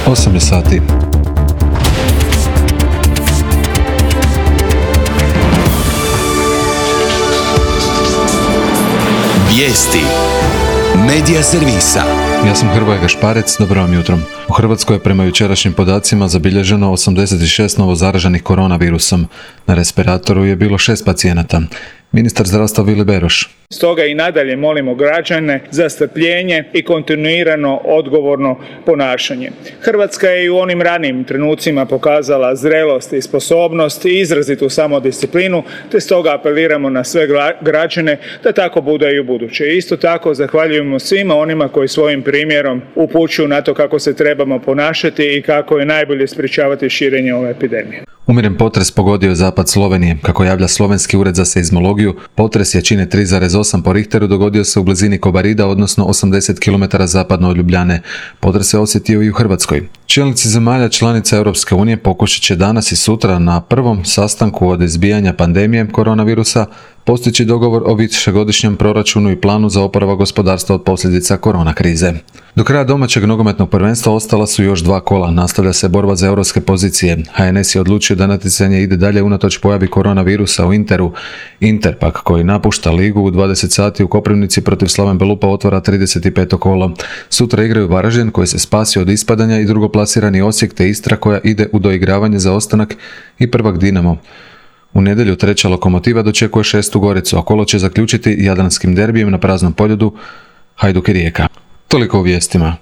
8 je sati. Vijesti Medija servisa. Ja sam Hrvoje Gašparec, dobro vam jutro. U Hrvatskoj je prema jučerašnjim podacima zabilježeno 86 novo zaraženih koronavirusom. Na respiratoru je bilo 6 pacijenata. Ministar zdravstva Vili Beroš. Stoga i nadalje molimo građane za strpljenje i kontinuirano odgovorno ponašanje. Hrvatska je i u onim ranijim trenucima pokazala zrelost i sposobnost i izrazitu samodisciplinu, te stoga apeliramo na sve građane da tako bude i u buduće. Isto tako zahvaljujemo svima onima koji svojim primjerom upućuju na to kako se trebamo ponašati i kako je najbolje sprječavati širenje ove epidemije. Umjeren potres pogodio je zapad Slovenije. Kako javlja Slovenski ured za seizmologiju, potres jačine 3,8 po Richteru dogodio se u blizini Kobarida, odnosno 80 km zapadno od Ljubljane. Potres se osjetio i u Hrvatskoj. Čelnici zemalja članica Europske unije pokušat će danas i sutra na prvom sastanku od izbijanja pandemije koronavirusa postići dogovor o višegodišnjem proračunu i planu za oporavak gospodarstva od posljedica korona krize. Do kraja domaćeg nogometnog prvenstva ostala su još 2 kola. Nastavlja se borba za europske pozicije. HNS je odlučio da natjecanje ide dalje unatoč pojavi koronavirusa u Interu. Inter pak, koji napušta ligu u 20 sati u Koprivnici protiv Slaven Belupa, otvara 35. kolo. Sutra igraju Varaždin, koji se spasio od ispadanja, i drugoplasirani Osijek, te Istra, koja ide u doigravanje za ostanak, i prvak Dinamo. U nedjelju treća Lokomotiva dočekuje 6. Goricu, a kolo će zaključiti jadranskim derbijem na praznom poljudu Hajduk i Rijeka. Toliko u vijestima.